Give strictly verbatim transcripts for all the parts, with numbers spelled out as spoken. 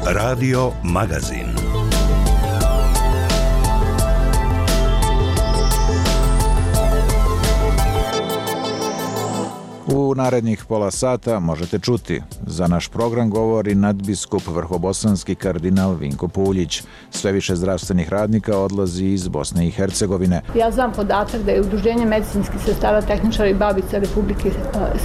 Radio Magazin. U narednih pola sata možete čuti. Za naš program govori nadbiskup vrhobosanski kardinal Vinko Puljić. Sve više zdravstvenih radnika odlazi iz Bosne i Hercegovine. Ja znam podatak da je Udruženje medicinskih sestara, tehničara i babica Republike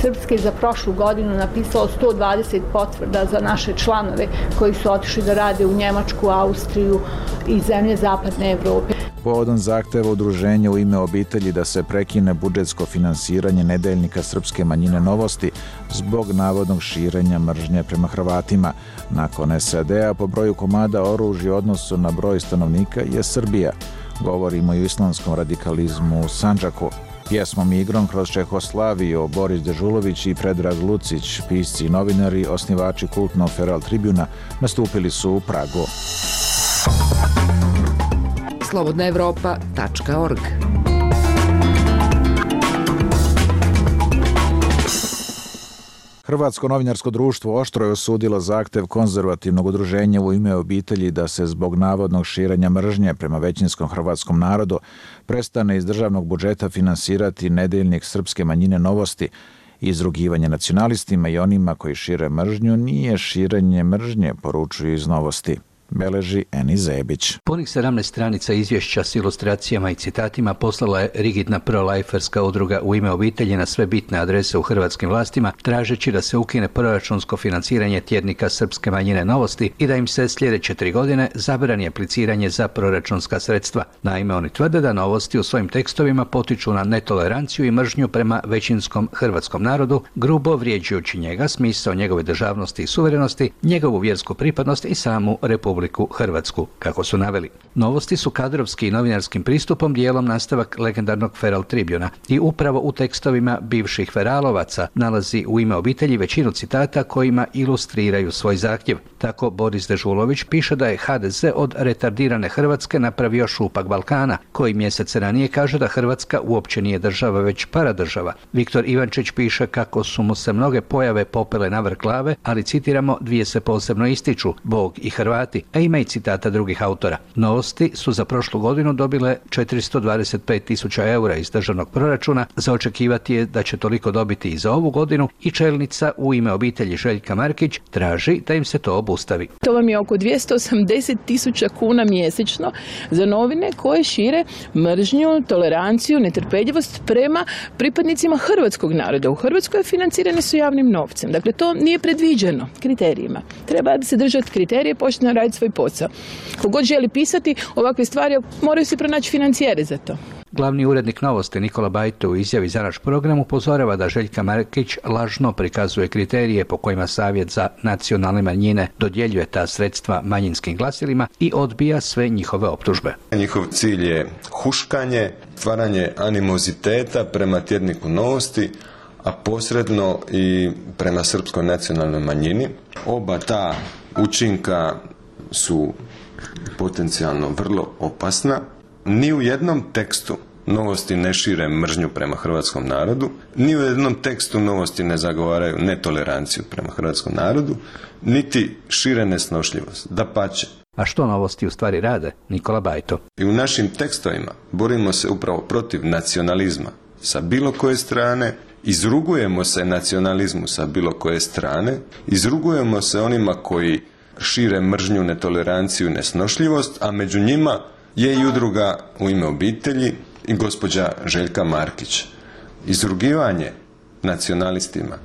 Srpske za prošlu godinu napisalo sto dvadeset potvrda za naše članove koji su otišli da rade u Njemačku, Austriju i zemlje zapadne Evrope. Povodom zahteva udruženja U ime obitelji da se prekine budžetsko finansiranje nedeljnika srpske manjine Novosti zbog navodnog širenja mržnje prema Hrvatima. Nakon S A D-a po broju komada oružja u odnosu na broj stanovnika je Srbija. Govorimo i o islamskom radikalizmu u Sandžaku. Pjesmom i igrom kroz Čehoslaviju Boris Dežulović i Predrag Lucić, pisci i novinari, osnivači kultnog Feral Tribuna, nastupili su u Pragu. slobodna evropa tačka org. Hrvatsko novinarsko društvo oštro je osudilo zahtev konzervativnog udruženja U ime obitelji da se zbog navodnog širenja mržnje prema većinskom hrvatskom narodu prestane iz državnog budžeta finansirati nedeljnik srpske manjine Novosti. Izrugivanje nacionalistima i onima koji šire mržnju nije širenje mržnje, poručuju iz Novosti. Beleži Eni Zebić. Punih sedamnaest stranica izvješća s ilustracijama i citatima poslala je rigidna pro-lajferska udruga U ime obitelji na sve bitne adrese u hrvatskim vlastima, tražeći da se ukine proračunsko financiranje tjednika srpske manjine Novosti i da im se sljedeće tri godine zabrani apliciranje za proračunska sredstva. Naime, oni tvrde da Novosti u svojim tekstovima potiču na netoleranciju i mržnju prema većinskom hrvatskom narodu, grubo vrijeđajući njega, smisao njegove državnosti i suverenosti, njegovu vjersku pripadnost i samu Republiku Hrvatsku, kako su naveli. Novosti su kadrovski i novinarskim pristupom dijelom nastavak legendarnog Feral Tribuna i upravo u tekstovima bivših feralovaca nalazi U ime obitelji većinu citata kojima ilustriraju svoj zahtjev. Tako Boris Dežulović piše da je H D Z od retardirane Hrvatske napravio šupak Balkana, koji mjesec ranije kaže da Hrvatska uopće nije država, već paradržava. Viktor Ivančić piše kako su mu se mnoge pojave popele na vrh glave, ali citiramo, dvije se posebno ističu, Bog i Hrvati, a ima i citata drugih autora. Novosti su za prošlu godinu dobile četiristo dvadeset pet tisuća eura iz državnog proračuna, za očekivati je da će toliko dobiti i za ovu godinu i čelnica U ime obitelji Željka Markić traži da im se to obustavi. To vam je oko dvjesto osamdeset tisuća kuna mjesečno za novine koje šire mržnju, toleranciju, netrpeljivost prema pripadnicima hrvatskog naroda. U Hrvatskoj financirane su javnim novcem. Dakle, to nije predviđeno kriterijima. Treba se držati kriterije, počne raditi svoj posao. Kogod želi pisati ovakve stvari, moraju se pronaći financijere za to. Glavni urednik Novosti Nikola Bajto u izjavi za naš program upozorava da Željka Markić lažno prikazuje kriterije po kojima Savjet za nacionalne manjine dodjeljuje ta sredstva manjinskim glasilima i odbija sve njihove optužbe. Njihov cilj je huškanje, stvaranje animoziteta prema tjedniku Novosti, a posredno i prema srpskoj nacionalnoj manjini. Oba ta učinka su potencijalno vrlo opasna. Ni u jednom tekstu Novosti ne šire mržnju prema hrvatskom narodu, ni u jednom tekstu Novosti ne zagovaraju netoleranciju prema hrvatskom narodu, niti šire nesnošljivost, dapače. A što Novosti u stvari rade? Nikola Bajto. I u našim tekstovima borimo se upravo protiv nacionalizma sa bilo koje strane, izrugujemo se nacionalizmu sa bilo koje strane, izrugujemo se onima koji šire mržnju, netoleranciju i nesnošljivost, a među njima je i udruga U ime obitelji i gospođa Željka Markić. Izrugivanje nacionalistima,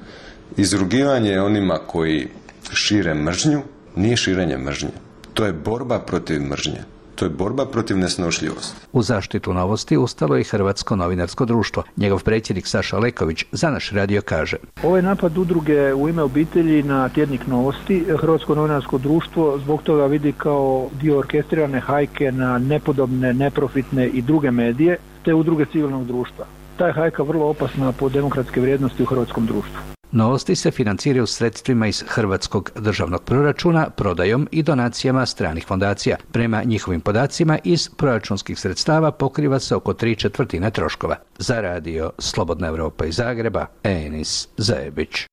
izrugivanje onima koji šire mržnju, nije širenje mržnje. To je borba protiv mržnje. To je borba protiv nesnošljivosti. U zaštitu Novosti ustalo je i Hrvatsko novinarsko društvo. Njegov predsjednik Saša Leković za naš radio kaže: Ovo je napad udruge U ime obitelji na tjednik Novosti. Hrvatsko novinarsko društvo zbog toga vidi kao dio orkestrirane hajke na nepodobne, neprofitne i druge medije, te udruge civilnog društva. Ta je hajka vrlo opasna po demokratske vrijednosti u hrvatskom društvu. Novosti se financiraju sredstvima iz hrvatskog državnog proračuna, prodajom i donacijama stranih fondacija. Prema njihovim podacima, iz proračunskih sredstava pokriva se oko tri četvrtine troškova. Za radio Slobodna Evropa iz Zagreba, Enis Zebić.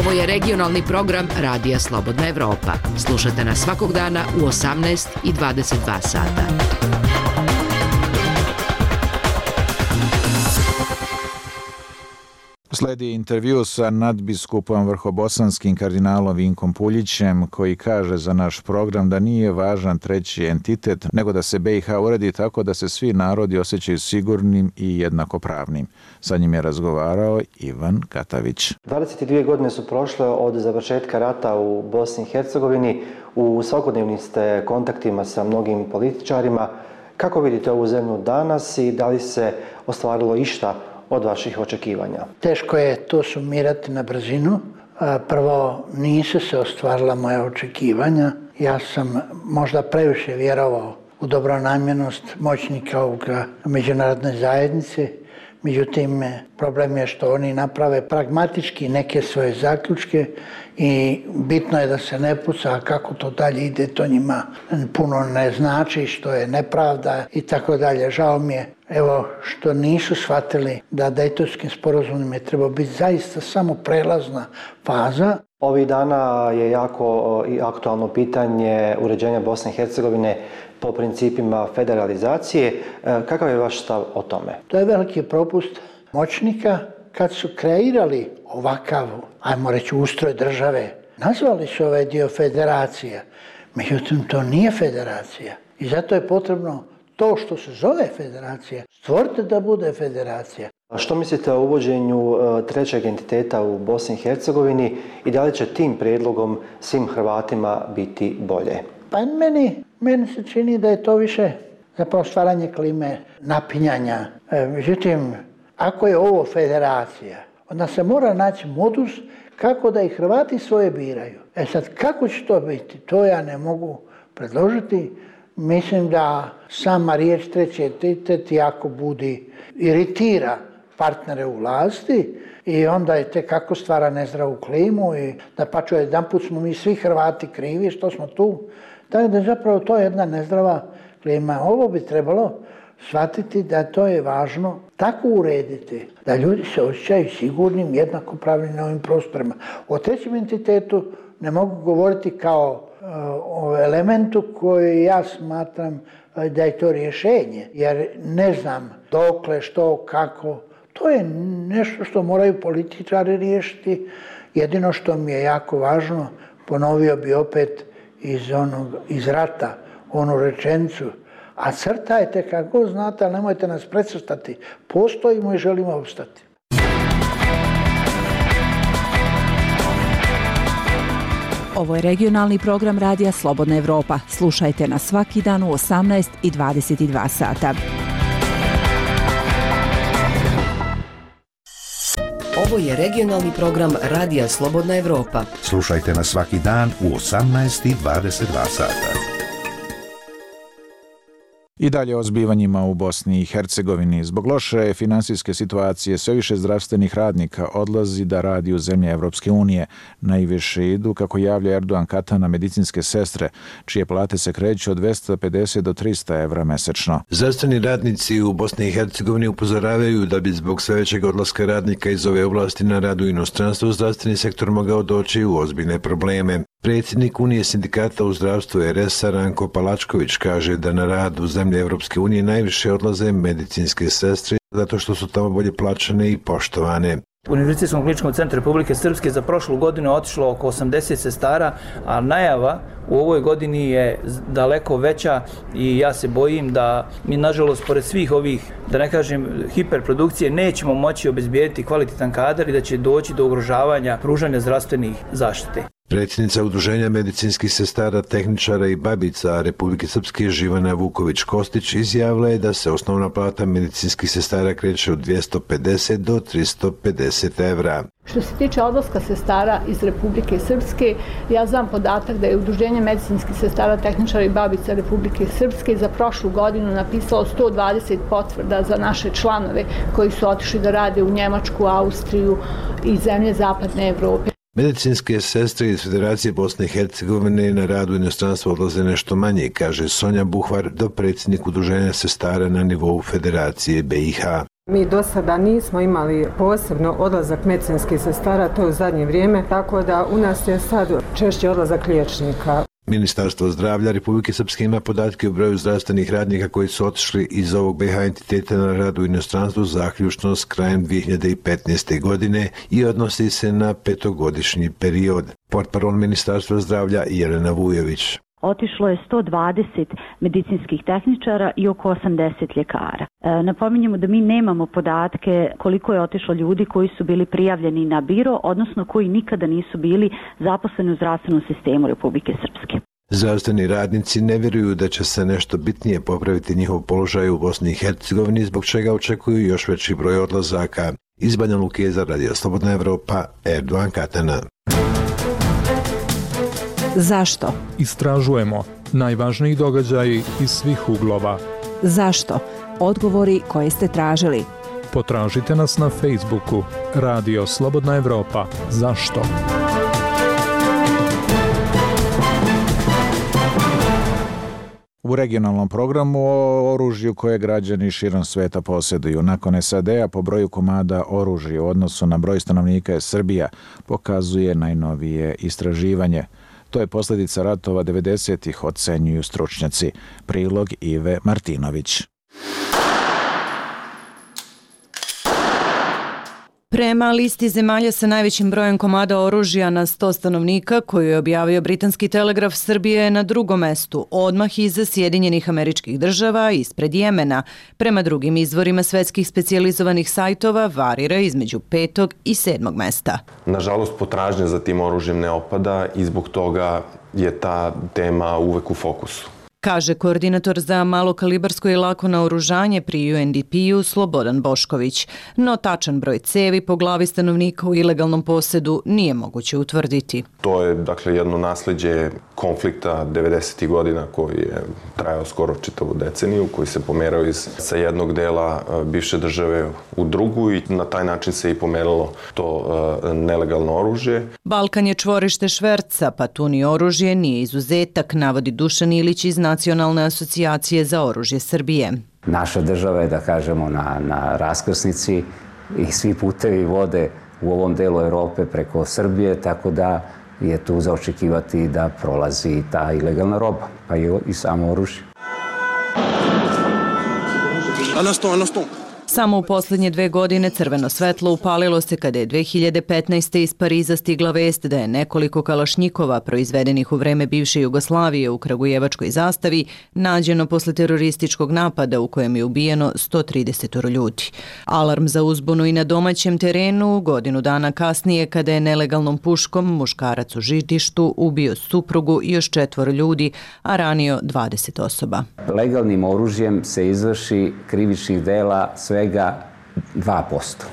Ovo je regionalni program Radija Slobodna Evropa. Slušajte nas svakog dana u osamnaest i dvadeset dva sata. Sledi intervju sa nadbiskupom vrhobosanskim kardinalom Vinkom Puljićem, koji kaže za naš program da nije važan treći entitet, nego da se B i H uredi tako da se svi narodi osjećaju sigurnim i jednakopravnim. Sa njim je razgovarao Ivan Katavić. dvadeset dvije godine su prošle od završetka rata u Bosni i Hercegovini. U svakodnevnim ste kontaktima sa mnogim političarima. Kako vidite ovu zemlju danas i da li se ostvarilo išta od vaših očekivanja? Teško je to sumirati na brzinu. Prvo, nisu se ostvarila moja očekivanja. Ja sam možda previše vjerovao u dobronamjernost moćnika ovoga međunarodne zajednice. Međutim, problem je što oni naprave pragmatički neke svoje zaključke i bitno je da se ne puca, a kako to dalje ide, to njima puno ne znači, što je nepravda i tako dalje. Žao mi je, evo, što nisu shvatili da Dejtonskim sporazumom je trebao biti zaista samo prelazna faza. Ovih dana je jako i aktualno pitanje uređenja Bosne i Hercegovine po principima federalizacije. Kakav je vaš stav o tome? To je veliki propust moćnika kad su kreirali ovakav, ajmo reći, ustroj države. Nazvali su ovaj dio federacija, međutim to nije federacija. I zato je potrebno to što se zove federacija, stvorite da bude federacija. A što mislite o uvođenju trećeg entiteta u Bosni i Hercegovini i da li će tim prijedlogom svim Hrvatima biti bolje? Pa meni, meni se čini da je to više zapravo stvaranje klime napinjanja. E, međutim, ako je ovo federacija, onda se mora naći modus kako da i Hrvati svoje biraju. E sad, kako će to biti, to ja ne mogu predložiti. Mislim da sama riječ treći entitet jako budi, iritira partnere u vlasti i onda je te kako stvara nezdravu klimu i da pa čuje, jedan put smo mi svi Hrvati krivi što smo tu. Tako da je zapravo to jedna nezdrava klima. Ovo bi trebalo shvatiti da to je važno tako urediti da ljudi se osjećaju sigurnim, jednakopravnim na ovim prostorima. O trećem entitetu ne mogu govoriti kao o elementu koji ja smatram da je to rješenje, jer ne znam dokle, što, kako. To je nešto što moraju političari riješiti. Jedino što mi je jako važno, ponovio bi opet iz, onog, iz rata onu rečenicu, a crtajte kako znate, ali nemojte nas precrtati. Postojimo i želimo opstati. Ovo je regionalni program Radija Slobodna Evropa. Slušajte nas svaki dan u osamnaest i dvadeset dva sata. Ovo je regionalni program Radija Slobodna Evropa. Slušajte nas svaki dan u osamnaest i dvadeset dva sata. I dalje o zbivanjima u Bosni i Hercegovini. Zbog loše finansijske situacije sve više zdravstvenih radnika odlazi da radi u zemlje Evropske unije. Najviše idu, kako javlja Erdogan Katana, medicinske sestre, čije plate se kreću od dvesta pedeset do trista evra mesečno. Zdravstveni radnici u Bosni i Hercegovini upozoravaju da bi zbog sve većeg odlaska radnika iz ove oblasti na rad u inostranstvu zdravstveni sektor mogao doći u ozbiljne probleme. Predsjednik Unije sindikata u zdravstvu R S a Ranko Palačković kaže da na rad u zemlje Evropske unije najviše odlaze medicinske sestre zato što su tamo bolje plaćene i poštovane. U Univerzitetskom kliničkom centru Republike Srpske za prošlu godinu je otišlo oko osamdeset sestara, a najava u ovoj godini je daleko veća i ja se bojim da mi, nažalost, pored svih ovih, da ne kažem, hiperprodukcije, nećemo moći obezbijediti kvalitetan kadar i da će doći do ugrožavanja pružanja zdravstvenih zaštite. Predsjednica Udruženja medicinskih sestara, tehničara i babica Republike Srpske Živana Vuković-Kostić izjavila je da se osnovna plata medicinskih sestara kreće od dvjesto pedeset do tristo pedeset evra. Što se tiče odlaska sestara iz Republike Srpske, ja znam podatak da je Udruženje medicinskih sestara, tehničara i babica Republike Srpske za prošlu godinu napisalo sto dvadeset potvrda za naše članove koji su otišli da rade u Njemačku, Austriju i zemlje zapadne Evrope. Medicinske sestre iz Federacije Bosne i Hercegovine na rad u inostranstvu odlaze nešto manje, kaže Sonja Buhvar, dopredsjednik Udruženja sestara na nivou Federacije B i H. Mi do sada nismo imali posebno odlazak medicinskih sestara, to je u zadnje vrijeme, tako da u nas je sad češće odlazak liječnika. Ministarstvo zdravlja Republike Srpske ima podatke o broju zdravstvenih radnika koji su otišli iz ovog B H entiteta na rad u inostranstvu zaključno s krajem dvije hiljade petnaeste. godine i odnosi se na petogodišnji period. Portparol Ministarstva zdravlja Jelena Vujović. Otišlo je sto dvadeset medicinskih tehničara i oko osamdeset ljekara. E, napominjemo da mi nemamo podatke koliko je otišlo ljudi koji su bili prijavljeni na biro, odnosno koji nikada nisu bili zaposleni u zdravstvenom sistemu Republike Srpske. Zdravstveni radnici ne vjeruju da će se nešto bitnije popraviti njihov položaj u Bosni i Hercegovini, zbog čega očekuju još veći broj odlazaka. Iz Banja Luke za Radio Slobodna Evropa, Erdogan Katana. Zašto? Istražujemo najvažniji događaji iz svih uglova. Zašto? Odgovori koje ste tražili. Potražite nas na Facebooku Radio Slobodna Evropa. Zašto? U regionalnom programu o oružju koje građani širom sveta posjeduju. Nakon S A D-a po broju komada oružja u odnosu na broj stanovnika je Srbija, pokazuje najnovije istraživanje. To je posljedica ratova devedesetih, ocenjuju stručnjaci. Prilog Ive Martinović. Prema listi zemalja sa najvećim brojem komada oružja na sto stanovnika koju je objavio britanski telegraf, Srbija je na drugom mestu, odmah iza Sjedinjenih Američkih Država, ispred Jemena. Prema drugim izvorima svetskih specijalizovanih sajtova varira između petog i sedmog mesta. Nažalost, potražnja za tim oružjem ne opada i zbog toga je ta tema uvek u fokusu. Kaže koordinator za malokalibarsko i lako naoružanje pri U N D P-u Slobodan Bošković. No tačan broj cevi po glavi stanovnika u ilegalnom posjedu nije moguće utvrditi. To je dakle jedno nasleđe konflikta devedesetih godina koji je trajao skoro čitavu deceniju, koji se pomerao iz sa jednog dela bivše države u drugu i na taj način se i pomeralo to uh, nelegalno oružje. Balkan je čvorište šverca, pa tu ni oružje nije izuzetak, navodi Dušan Ilić iz Nacionalne asocijacije za oružje Srbije. Naša država je, da kažemo, na, na raskrsnici i svi putevi vode u ovom delu Europe preko Srbije, tako da je tu za očekivati da prolazi ta ilegalna roba, pa i, i samo oružje. Samo u posljednje dve godine crveno svetlo upalilo se kada je dve hiljade petnaeste. iz Pariza stigla vest da je nekoliko kalašnjikova proizvedenih u vreme bivše Jugoslavije u kragujevačkoj zastavi nađeno posle terorističkog napada u kojem je ubijeno sto trideset ljudi. Alarm za uzbunu i na domaćem terenu godinu dana kasnije kada je nelegalnom puškom muškarac u Žitištu ubio suprugu i još četvoro ljudi, a ranio dvadeset osoba. Legalnim oružjem se izvrši krivičnih dela svega dva posto.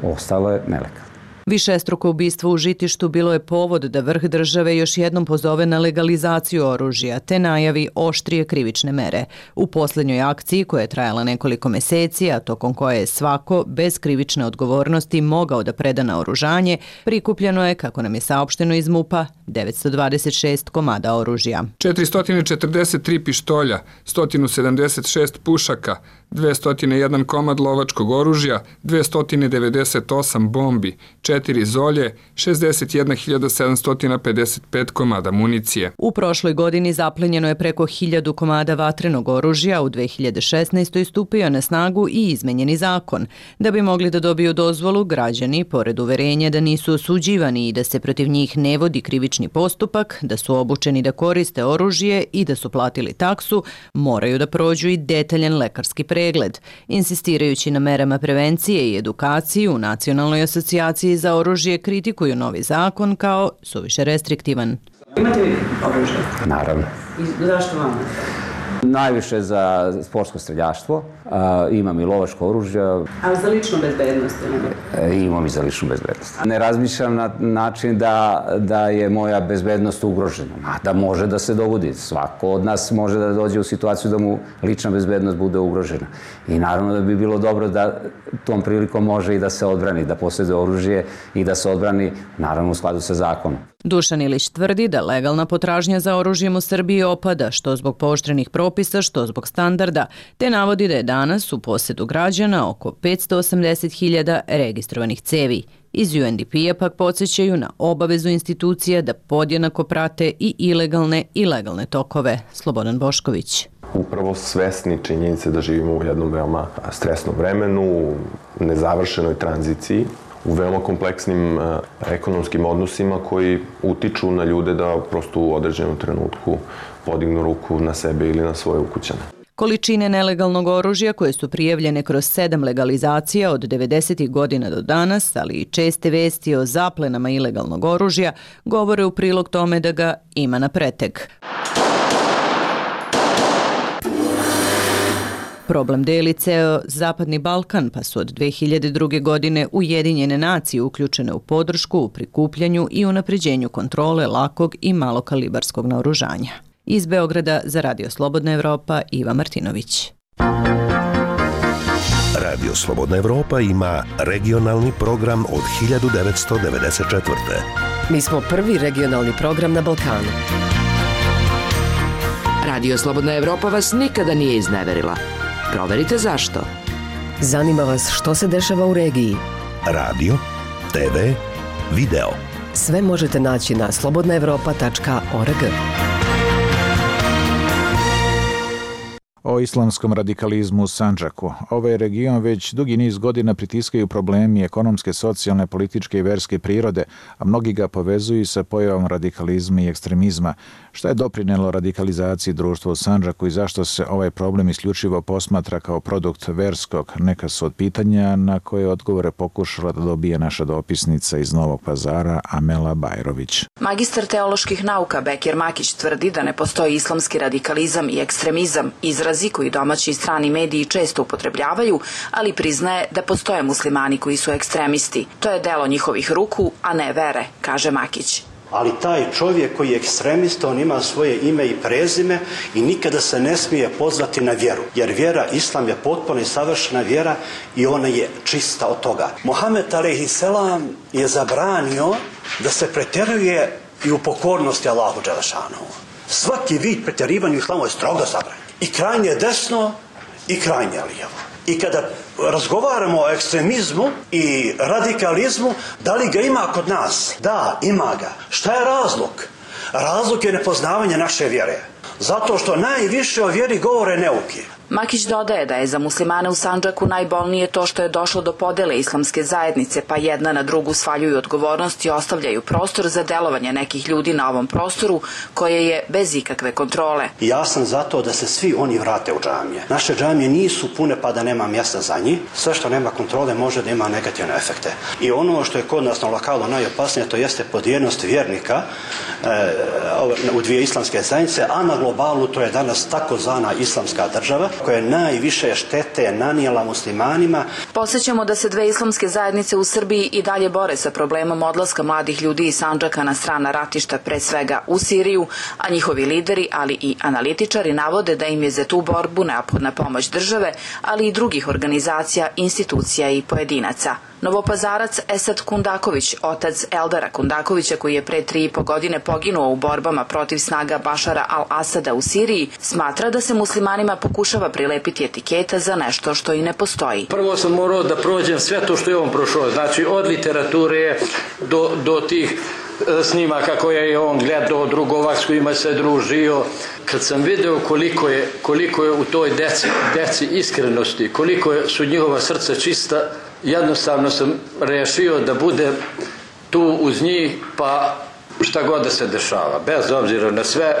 Ostalo je nelegalno. Višestruko ubistvo u Žitištu bilo je povod da vrh države još jednom pozove na legalizaciju oružja te najavi oštrije krivične mere. U posljednjoj akciji koja je trajala nekoliko meseci, a tokom koje je svako bez krivične odgovornosti mogao da preda naoružanje, prikupljeno je, kako nam je saopšteno iz MUP-a, devetsto dvadeset šest komada oružja. četiristo četrdeset tri pištolja, sto sedamdeset šest pušaka, dvesta jedan komad lovačkog oružja, dvesta devedeset osam bombi, četiri zolje, šezdeset jedna hiljada sedamsto pedeset pet komada municije. U prošloj godini zaplenjeno je preko hiljadu komada vatrenog oružja, u dve hiljade šesnaestoj. stupio na snagu i izmenjeni zakon. Da bi mogli da dobiju dozvolu, građani, pored uverenja da nisu osuđivani i da se protiv njih ne vodi krivični postupak, da su obučeni da koriste oružje i da su platili taksu, moraju da prođu i detaljan lekarski pregled. Insistirajući na merama prevencije i edukaciji u Nacionalnoj asocijaciji za oružje kritikuju novi zakon kao suviše restriktivan. Imate vi oružje? Naravno. I zašto vam? Najviše za sportsko streljaštvo, a, imam i lovačko oružje. A za ličnu bezbednost? E, imam i za ličnu bezbednost. Ne razmišljam na način da, da je moja bezbednost ugrožena, a da može da se dogodi. Svako od nas može da dođe u situaciju da mu lična bezbednost bude ugrožena. I naravno da bi bilo dobro da tom prilikom može i da se odbrani, da posjeduje oružje i da se odbrani, naravno u skladu sa zakonom. Dušan Ilić tvrdi da legalna potražnja za oružjem u Srbiji opada, što zbog pooštrenih propisa, što zbog standarda, te navodi da je danas u posjedu građana oko petsto osamdeset hiljada registrovanih cevi. Iz U N D P-a pak podsjećaju na obavezu institucija da podjednako prate i ilegalne i legalne tokove. Slobodan Bošković. Upravo svesni činjenice da živimo u jednom veoma stresnom vremenu, u nezavršenoj tranziciji, u veoma kompleksnim ekonomskim odnosima koji utiču na ljude da prosto u određenom trenutku podignu ruku na sebe ili na svoje ukućane. Količine nelegalnog oružja koje su prijavljene kroz sedam legalizacija od devedesetih godina do danas, ali i česte vesti o zaplenama ilegalnog oružja, govore u prilog tome da ga ima na preteg. Problem deli ceo Zapadni Balkan, pa su od dve hiljade druge. godine Ujedinjene nacije uključene u podršku u prikupljanju i unapređenju kontrole lakog i malokalibarskog naoružanja. Iz Beograda za Radio Slobodna Evropa, Iva Martinović. Radio Slobodna Evropa ima regionalni program od hiljadu devetsto devedeset četvrte. Mi smo prvi regionalni program na Balkanu. Radio Slobodna Evropa vas nikada nije izneverila. Proverite zašto. Zanima vas što se dešava u regiji. Radio, te ve, video. Sve možete naći na slobodna evropa tačka org. O islamskom radikalizmu u Sandžaku. Ovaj region već dugi niz godina pritiskaju problemi ekonomske, socijalne, političke i verske prirode, a mnogi ga povezuju sa pojavom radikalizma i ekstremizma. Šta je doprinelo radikalizaciji društva u Sandžaku i zašto se ovaj problem isključivo posmatra kao produkt verskog? Neka su od pitanja na koje odgovore pokušala da dobije naša dopisnica iz Novog Pazara, Amela Bajrović. Magistar teoloških nauka Bekir Makić tvrdi da ne postoji islamski radikalizam i ekstremizam, izrazi koji domaći i strani mediji često upotrebljavaju, ali priznaje da postoje muslimani koji su ekstremisti. To je delo njihovih ruku, a ne vere, kaže Makić. Ali taj čovjek koji je ekstremista, on ima svoje ime i prezime i nikada se ne smije pozvati na vjeru. Jer vjera, islam je potpuno i savršena vjera i ona je čista od toga. Mohamed alejhiselam je zabranio da se pretjeruje i u pokornosti Allahu dželešanu. Svaki vid pretjerivanja u islamu je strogo zabranjen. I krajnje desno i krajnje lijevo. I kada razgovaramo o ekstremizmu i radikalizmu, da li ga ima kod nas? Da, ima ga. Šta je razlog? Razlog je nepoznavanje naše vjere. Zato što najviše o vjeri govore neuki. Makić dodaje da je za muslimane u Sandžaku najbolnije to što je došlo do podele islamske zajednice, pa jedna na drugu svaljuju odgovornost i ostavljaju prostor za delovanje nekih ljudi na ovom prostoru koje je bez ikakve kontrole. Ja sam zato da se svi oni vrate u džamije. Naše džamije nisu pune pa da nema mjesta za njih. Sve što nema kontrole može da ima negativne efekte. I ono što je kod nas na lokalu najopasnije, to jeste podijeljenost vjernika e, u dvije islamske zajednice, a na globalu to je danas takozvana islamska država, koja je najviše štete nanijela muslimanima. Posjećamo da se dve islamske zajednice u Srbiji i dalje bore sa problemom odlaska mladih ljudi iz Sandžaka na strana ratišta, pre svega u Siriju, a njihovi lideri, ali i analitičari navode da im je za tu borbu neophodna pomoć države, ali i drugih organizacija, institucija i pojedinaca. Novopazarac Esad Kundaković, otac Eldara Kundakovića koji je pre tri i po godine poginuo u borbama protiv snaga Bašara al-Asada u Siriji, smatra da se muslimanima pokušava prilepiti etiketa za nešto što i ne postoji. Prvo sam morao da prođem sve to što je on prošao, znači od literature do, do tih snimaka koje je on gledao, drugova s kojima se družio. Kad sam video koliko je, koliko je u toj deci, deci iskrenosti, koliko su njihova srca čista, jednostavno sam rešio da budem tu uz njih, pa šta god da se dešava, bez obzira na sve.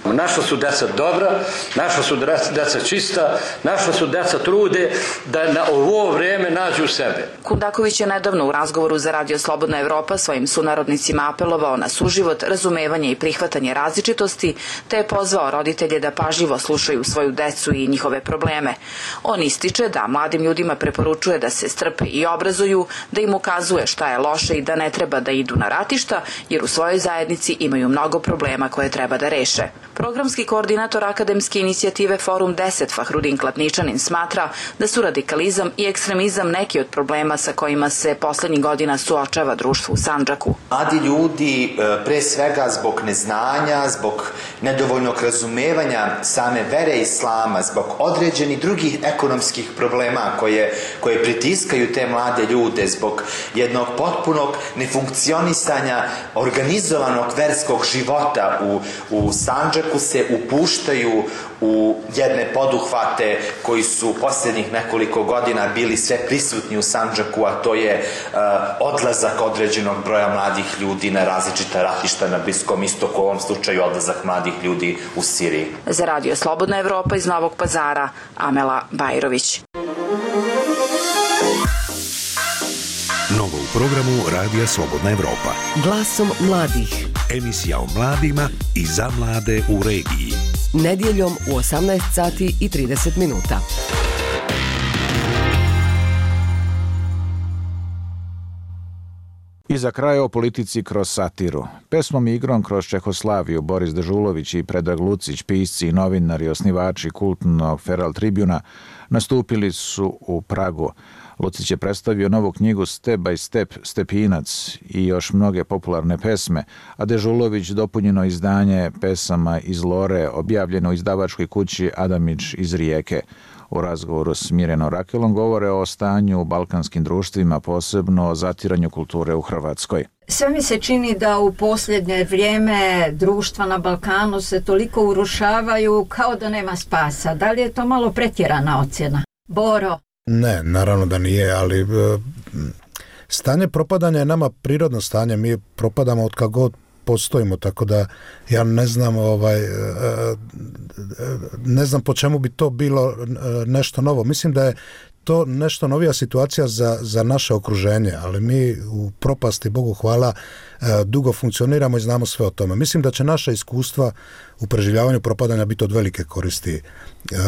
Naša su deca dobra, naša su deca čista, naša su deca trude da na ovo vreme nađu sebe. Kundaković je nedavno u razgovoru za Radio Slobodna Evropa svojim sunarodnicima apelovao na suživot, razumevanje i prihvatanje različitosti, te je pozvao roditelje da pažljivo slušaju svoju decu i njihove probleme. On ističe da mladim ljudima preporučuje da se strpe i obrazuju, da im ukazuje šta je loše i da ne treba da idu na ratišta, jer u svojoj zajednici zajednici imaju mnogo problema koje treba da reše. Programski koordinator akademske inicijative Forum deset Fahrudin Klatničanin smatra da su radikalizam i ekstremizam neki od problema sa kojima se poslednjih godina suočava društvo u Sandžaku. Mladi ljudi, pre svega zbog neznanja, zbog nedovoljnog razumevanja same vere islama, zbog određenih drugih ekonomskih problema koje, koje pritiskaju te mlade ljude, zbog jednog potpunog nefunkcionisanja organizovanog verskog života u, u Sandžaku se upuštaju u jedne poduhvate koji su posljednjih nekoliko godina bili sve prisutni u Sandžaku, a to je uh, odlazak određenog broja mladih ljudi na različita ratišta na Bliskom istoku, u ovom slučaju odlazak mladih ljudi u Siriji. Za Radio Slobodna Evropa iz Novog Pazara, Amela Bajrović. Novo u programu Radija Slobodna Evropa. Glasom mladih. Emisija o mladima i za mlade u regiji. Nedjeljom u osamnaest sati i trideset minuta. I za kraj o politici kroz satiru. Pesmom i igrom kroz Čehoslaviju Boris Dežulović i Predrag Lucić, pisci i novinari, osnivači kultnog Feral Tribuna, nastupili su u Pragu. Lucić je predstavio novu knjigu Step by Step, Stepinac i još mnoge popularne pesme, a Dežulović dopunjeno izdanje pesama iz Lore, objavljeno u izdavačkoj kući Adamić iz Rijeke. U razgovoru s Mirjanom Rakelom govore o stanju u balkanskim društvima, posebno o zatiranju kulture u Hrvatskoj. Sve mi se čini da u posljednje vrijeme društva na Balkanu se toliko urušavaju kao da nema spasa. Da li je to malo pretjerana ocjena? Boro? Ne, naravno da nije, ali stanje propadanja je nama prirodno stanje. Mi propadamo od kad god postojimo, tako da ja ne znam ovaj ne znam po čemu bi to bilo nešto novo. Mislim da je to nešto novija situacija za, za naše okruženje, ali mi u propasti, Bogu hvala, dugo funkcioniramo i znamo sve o tome. Mislim da će naša iskustva u preživljavanju propadanja biti od velike koristi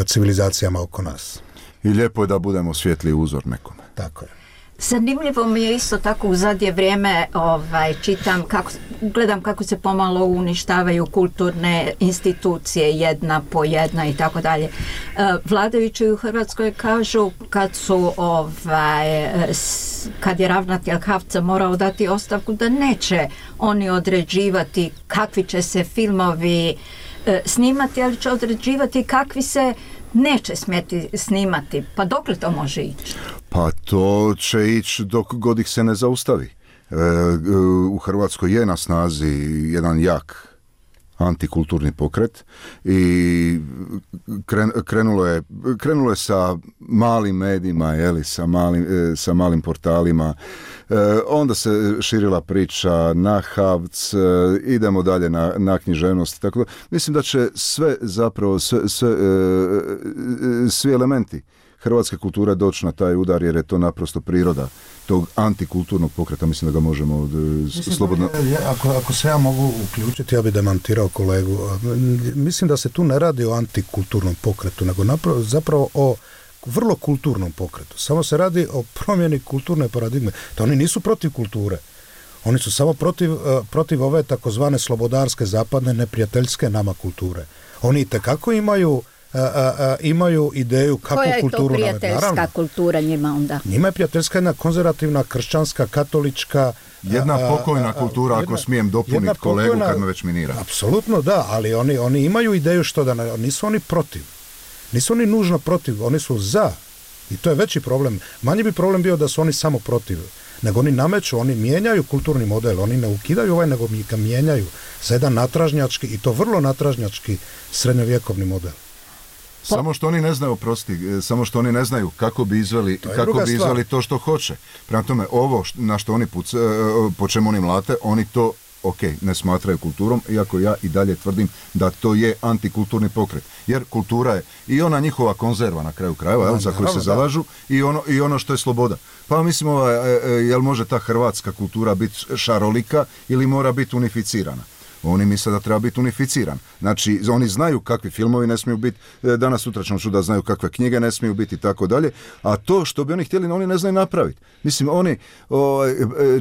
civilizacijama oko nas. I lijepo je da budemo svijetli uzor nekome. Tako je. Zanimljivo mi je isto tako u zadnje vrijeme ovaj, čitam, kako, gledam kako se pomalo uništavaju kulturne institucije jedna po jedna i tako dalje. Vladajući u Hrvatskoj kažu kad su ovaj, kad je ravnatelj Havca morao dati ostavku da neće oni određivati kakvi će se filmovi snimati, ali će određivati kakvi se neće smjeti snimati. Pa dokle to može ići? Pa to će ići dok god ih se ne zaustavi. E, u Hrvatskoj je na snazi jedan jak antikulturni pokret i kren, krenulo je krenulo je sa malim medijima, jeli, sa malim, sa malim portalima, e, onda se širila priča na Havc, e, idemo dalje na, na književnost, tako da mislim da će sve zapravo sve, sve, e, svi elementi hrvatske kulture doći na taj udar, jer je to naprosto priroda tog antikulturnog pokreta. Mislim da ga možemo od, slobodno... Ja, ako, ako se ja mogu uključiti, ja bih demantirao kolegu. Mislim da se tu ne radi o antikulturnom pokretu, nego napravo, zapravo o vrlo kulturnom pokretu. Samo se radi o promjeni kulturne paradigme. To oni nisu protiv kulture. Oni su samo protiv, protiv ove takozvane slobodarske, zapadne, neprijateljske nama kulture. Oni itekako imaju A, a, a, imaju ideju kako kulturu... Koja je to prijateljska naravno, kultura njima onda? Njima je prijateljska jedna konzervativna, kršćanska, katolička... Jedna a, pokojna a, a, kultura, jedna, ako smijem dopuniti kolegu pokojna, kad me već minira. Apsolutno da, ali oni, oni imaju ideju što da... Nisu oni protiv. Nisu oni nužno protiv, oni su za. I to je veći problem. Manji bi problem bio da su oni samo protiv. Nego oni nameću, oni mijenjaju kulturni model. Oni ne ukidaju ovaj, nego ga mijenjaju za jedan natražnjački, i to vrlo natražnjački srednjovjekovni model. Samo što oni ne znaju, oprosti, samo što oni ne znaju kako bi izveli, kako bi izveli to što hoće. Prema tome, ovo na što oni puce, po čemu oni mlate, oni to, ok, ne smatraju kulturom, iako ja i dalje tvrdim da to je antikulturni pokret. Jer kultura je i ona njihova konzerva na kraju krajeva, jel, za koju se zalažu, i ono, i ono što je sloboda. Pa mislim, ovaj, jel može ta hrvatska kultura biti šarolika ili mora biti unificirana? Oni misle da treba biti unificiran. Znači, oni znaju kakvi filmovi ne smiju biti, danas sutra ćemo čuti da znaju kakve knjige ne smiju biti i tako dalje, a to što bi oni htjeli, oni ne znaju napraviti. Mislim, oni o,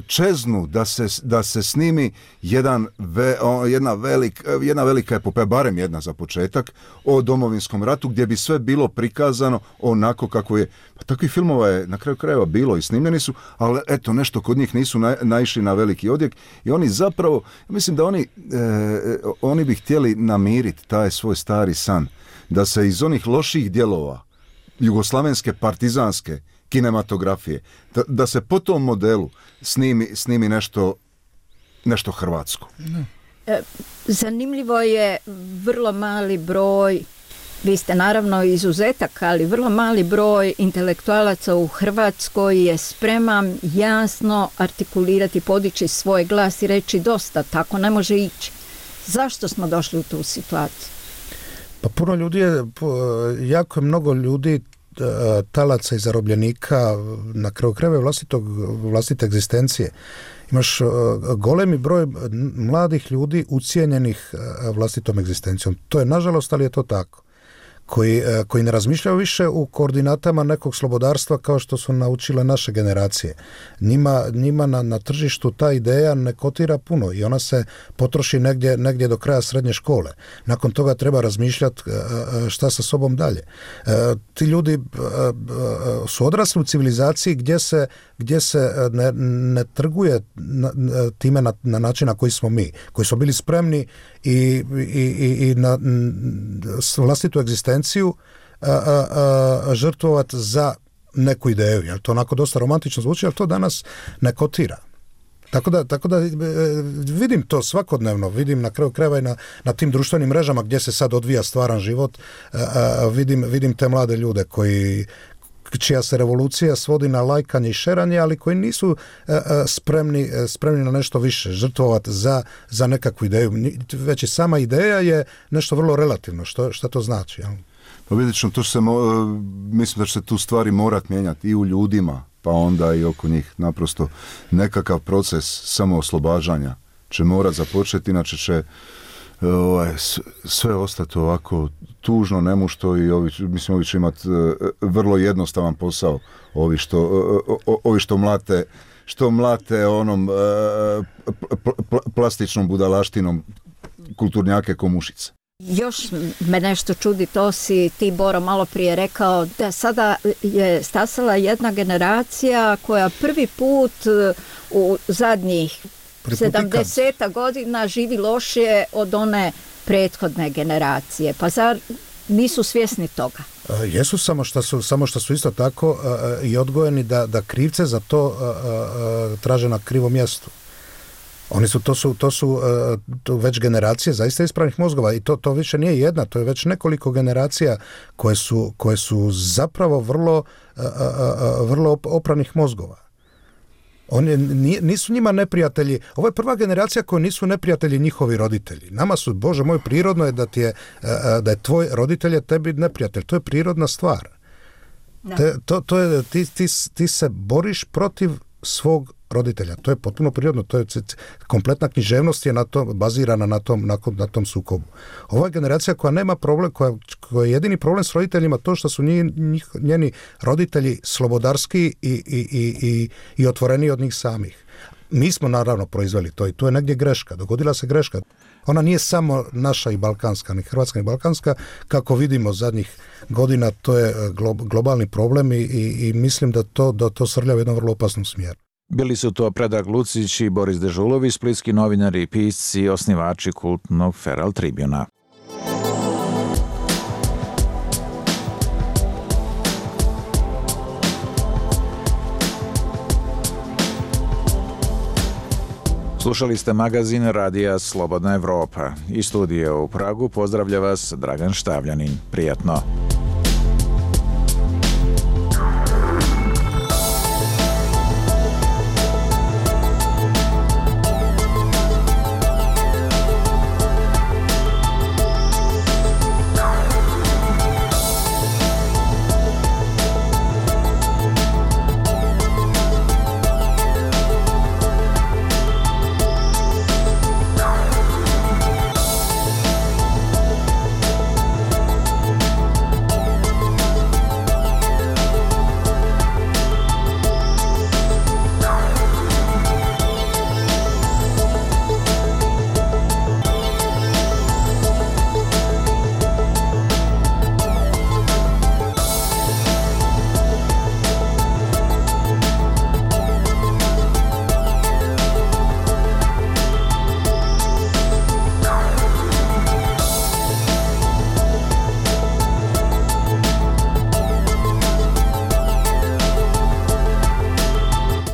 čeznu da se, da se snimi jedan ve, o, jedna, velik, jedna velika epopeja, barem jedna za početak, o Domovinskom ratu, gdje bi sve bilo prikazano onako kako je. Pa takvih filmova je na kraju krajeva bilo i snimljeni su, ali eto, nešto kod njih nisu na, naišli na veliki odjek i oni zapravo, mislim da oni, e, oni bi htjeli namiriti taj svoj stari san, da se iz onih loših dijelova jugoslavenske partizanske kinematografije, da, da se po tom modelu snimi, snimi nešto, nešto hrvatsko. E, zanimljivo je vrlo mali broj, vi ste naravno izuzetak, ali vrlo mali broj intelektualaca u Hrvatskoj je spreman jasno artikulirati, podići svoj glas i reći dosta, tako ne može ići. Zašto smo došli u tu situaciju? Pa puno ljudi je, jako je mnogo ljudi talaca i zarobljenika na kraju krajeva vlastitog, vlastite egzistencije. Imaš golemi broj mladih ljudi ucijenjenih vlastitom egzistencijom. To je nažalost, ali je to tako. Koji, koji ne razmišljaju više u koordinatama nekog slobodarstva kao što su naučile naše generacije. Njima, njima na, na tržištu ta ideja ne kotira puno i ona se potroši negdje, negdje do kraja srednje škole. Nakon toga treba razmišljati šta sa sobom dalje. Ti ljudi su odrasli u civilizaciji gdje se, gdje se ne, ne trguje time na, na način na koji smo mi, koji smo bili spremni i, i, i, i na vlastitu egzistenciju a, a, a, žrtvovati za neku ideju. Jel to onako dosta romantično zvuči, ali to danas ne kotira. Tako da, tako da vidim to svakodnevno, vidim na kraju krajeva i na, na tim društvenim mrežama gdje se sad odvija stvaran život, a, a, vidim, vidim te mlade ljude koji čija se revolucija svodi na lajkanje i šeranje, ali koji nisu a, a, spremni, spremni na nešto više, žrtvovati za, za nekakvu ideju. Već i sama ideja je nešto vrlo relativno. Što, što to znači? Jel? Pa vidjet ćemo, to se, mislim da će se tu stvari morat mijenjati i u ljudima, pa onda i oko njih. Naprosto nekakav proces samooslobađanja će morat započeti, inače će ovaj, sve ostati ovako tužno, nemušto i ovi, mislim, ovi će imati vrlo jednostavan posao, ovi što, ovi što mlate što mlate onom plastičnom budalaštinom kulturnjake ko mušice. Još me nešto čudi, to si ti, Boro, malo prije rekao, da sada je stasala jedna generacija koja prvi put u zadnjih sedamdeset godina živi lošije od one prethodne generacije. Pa zar nisu svjesni toga? Jesu, samo što su, samo što su isto tako uh, i odgojeni da, da krivce za to uh, uh, traže na krivom mjestu. Oni su, to su, to su uh, to već generacije zaista ispravnih mozgova i to, to više nije jedna, to je već nekoliko generacija koje su, koje su zapravo vrlo, uh, uh, vrlo opranih mozgova. Oni nisu njima neprijatelji. Ovo je prva generacija koji nisu neprijatelji njihovi roditelji. Nama su, Bože moj, prirodno je da ti je, da je tvoj roditelj je tebi neprijatelj. To je prirodna stvar. Te, to, to je, ti, ti, ti se boriš protiv svog roditelja. To je potpuno prirodno. To je kompletna književnost je na to, bazirana na tom, na, na tom sukobu. Ova generacija koja nema problem, koja, koja je jedini problem s roditeljima to što su njih, njih, njeni roditelji slobodarski i, i, i, i, i otvoreni od njih samih. Mi smo naravno proizveli to i tu je negdje greška. Dogodila se greška. Ona nije samo naša i balkanska, ni hrvatska ni balkanska. Kako vidimo zadnjih godina, to je globalni problem i, i, i mislim da to, da to srlja u jednom vrlo opasnom smjeru. Bili su to Predrag Lucić i Boris Dežulović, splitski novinari i pisci i osnivači kultnog Feral Tribuna. Slušali ste magazin Radija Slobodna Evropa. Iz studija u Pragu pozdravlja vas Dragan Štavljanin. Prijatno.